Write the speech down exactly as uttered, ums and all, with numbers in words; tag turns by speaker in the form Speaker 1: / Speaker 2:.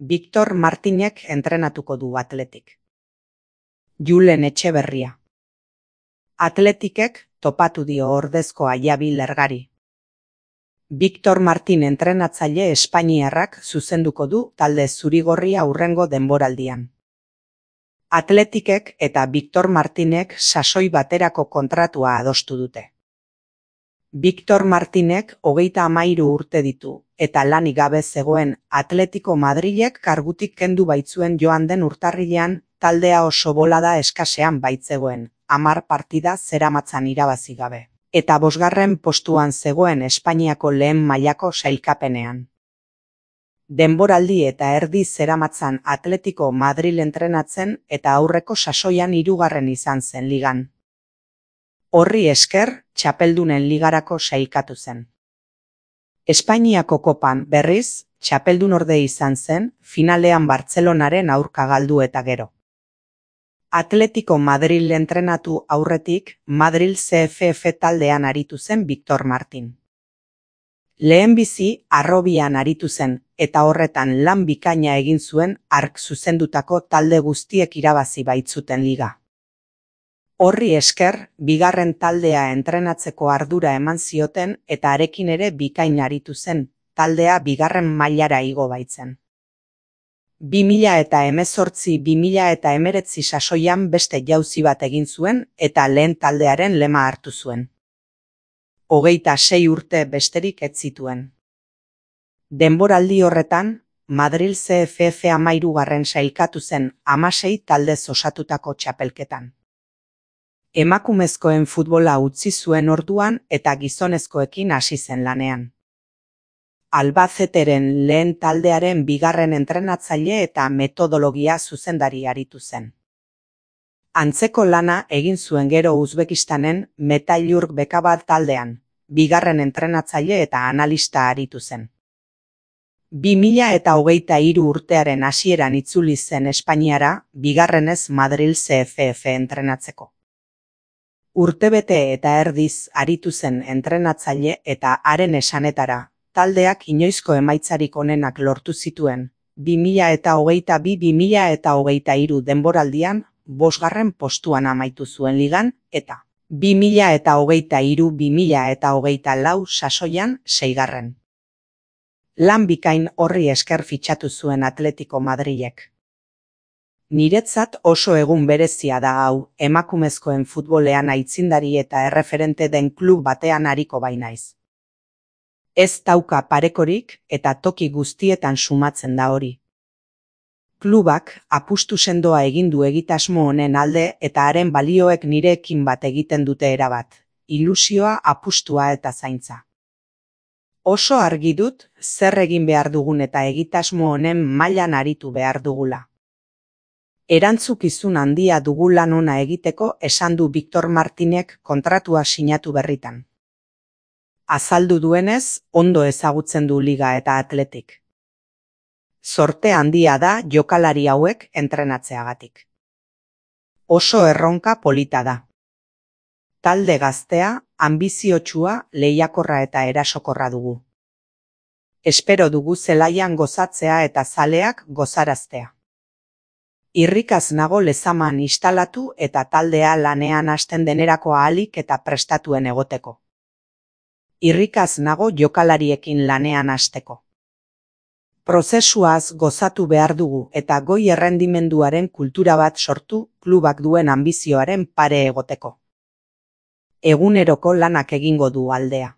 Speaker 1: Victor Martinek entrenatuko du Athletic. Julen Etxeberria. Athleticek topatu dio ordezkoa Javi Lergari. Victor Martin entrenatzaile espainiarrak zuzenduko du talde zurigorria hurrengo denboraldian. Athleticek eta Victor Martinek sasoi baterako kontratua adostu dute. Victor Martinek hogeita hamairu urte ditu, eta lanik gabe zegoen Atletico Madrilek kargutik kendu baitzuen joan den urtarrilean taldea oso bolada eskasean baitzegoen, hamar partida zeramatzan irabazi gabe, eta bosgarren postuan zegoen Espainiako lehen mailako sailkapenean. Denboraldi eta erdi zeramatzan Atletico Madril entrenatzen eta aurreko sasoian hirugarren izan zen ligan. Horri esker, txapeldunen ligarako sailkatu zen. Espainiako kopan, berriz, txapeldun orde izan zen, finalean Bartzelonaren aurka galdu eta gero. Atletico Madril entrenatu aurretik, Madril C F F taldean aritu zen Victor Martin. Lehenbizi, Harrobian aritu zen, eta horretan lan bikaina egin zuen hark zuzendutako talde guztiek irabazi baitzuten liga. Horri esker, bigarren taldea entrenatzeko ardura eman zioten eta arekin ere bikain aritu zen, taldea bigarren mailara igo baitzen. bi mila eta hemezortzi bi mila eta hemeretzi sasoian beste jauzi bat egin zuen eta lehen taldearen lema hartu zuen. Hogeita sei urte besterik ez zituen. Denboraldi horretan, Madril C F F hamairugarren sailkatu zen hamasei taldez osatutako txapelketan. Emakumezkoen futbola utzi zuen orduan eta gizonezkoekin hasi zen lanean. Albaceteren lehen taldearen bigarren entrenatzaile eta metodologia zuzendari aritu zen. Antzeko lana egin zuen gero Uzbekistanen Metailurg Bekabad taldean, bigarren entrenatzaile eta analista aritu zen. bi mila eta hogeita hiru urtearen hasieran itzuli zen Espainiara, bigarrenez Madril C F F entrenatzeko. Urtebete eta erdiz aritu zen entrenatzaile eta haren esanetara, taldeak inoizko emaitzarik onenak lortu zituen, bi mila eta hogeita bi bi mila eta hogeita hiru denboraldian, bosgarren postuan amaitu zuen ligan, eta bi mila eta hogeita hiru bi mila eta hogeita lau sasoian seigarren. Lan bikain horri esker fitxatu zuen Atletico Madrilek. Niretzat oso egun berezia da hau, emakumezkoen futbolean aitzindari eta erreferente den klub batean ariko bainaiz. Ez dauka parekorik eta toki guztietan sumatzen da hori. Klubak apustu sendoa egin du egitasmo honen alde eta haren balioek nirekin bat egiten dute erabat, ilusioa, apustua eta zaintza. Oso argi dut zer egin behar dugun eta egitasmo honen mailan aritu behar dugula. Erantzukizun handia dugu lan ona egiteko esan du Victor Martinek kontratua sinatu berritan. Azaldu duenez, ondo ezagutzen du liga eta Athletic. Zorte handia da jokalari hauek entrenatzeagatik. Oso erronka polita da. Talde gaztea, anbiziotsua, lehiakorra eta erasokorra dugu. Espero dugu zelaian gozatzea eta zaleak gozaraztea. Irrikaz nago lezaman instalatu eta taldea lanean hasten denerako ahalik eta prestatuen egoteko. Irrikaz nago jokalariekin lanean hasteko. Prozesuaz gozatu behar dugu eta goi errendimenduaren kultura bat sortu klubak duen anbizioaren pare egoteko. Eguneroko lanak egingo du aldea.